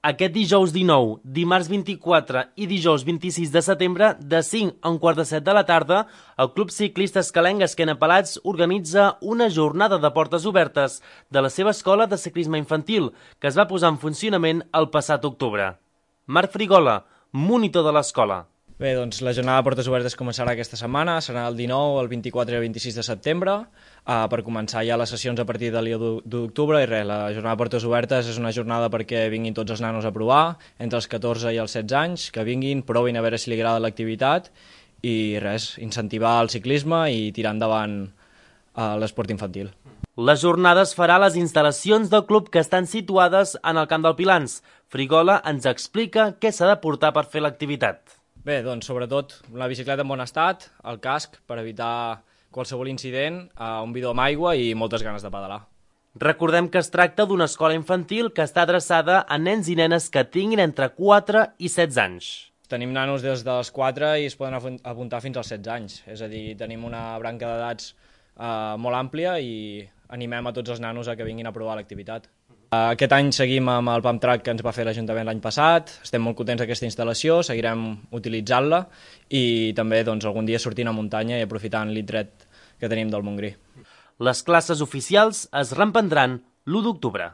Aquest dijous 19, dimarts 24 i dijous 26 de setembre, de 5 a un quart de 7 de la tarda, el Club Ciclista Escalenc Esquena Pelats organitza una jornada de portes obertes de la seva escola de ciclisme infantil, que es va posar en funcionament el passat octubre. Marc Frigola, monitor de l'escola. Bé, doncs la jornada de portes obertes començarà aquesta setmana, serà el 19, el 24 i el 26 de setembre, per començar ja les sessions a partir de l'1 d'octubre, i res, la jornada de portes obertes és una jornada perquè vinguin tots els nanos a provar, entre els 14 i els 16 anys, que vinguin, provin a veure si li agrada l'activitat, i res, incentivar el ciclisme i tirar endavant l'esport infantil. La jornada es farà a les instal·lacions del club que estan situades en el Camp del Pilans. Frigola ens explica què s'ha de portar per fer l'activitat. Bé, doncs sobretot la bicicleta en bon estat, el casc per evitar qualsevol incident, un bidó amb aigua i moltes ganes de pedalar. Recordem que es tracta d'una escola infantil que està adreçada a nens i nenes que tinguin entre 4 i 16 anys. Tenim nanos des dels 4 i es poden apuntar fins als 16 anys, és a dir, tenim una branca d'edats molt àmplia i animem a tots els nanos a que vinguin a provar l'activitat. Aquest any seguim amb el pump track que ens va fer l'Ajuntament l'any passat, estem molt contents d'aquesta instal·lació, seguirem utilitzant-la i també doncs, algun dia sortint a muntanya i aprofitant l'indret que tenim del Montgrí. Les classes oficials es reprendran l'1 d'octubre.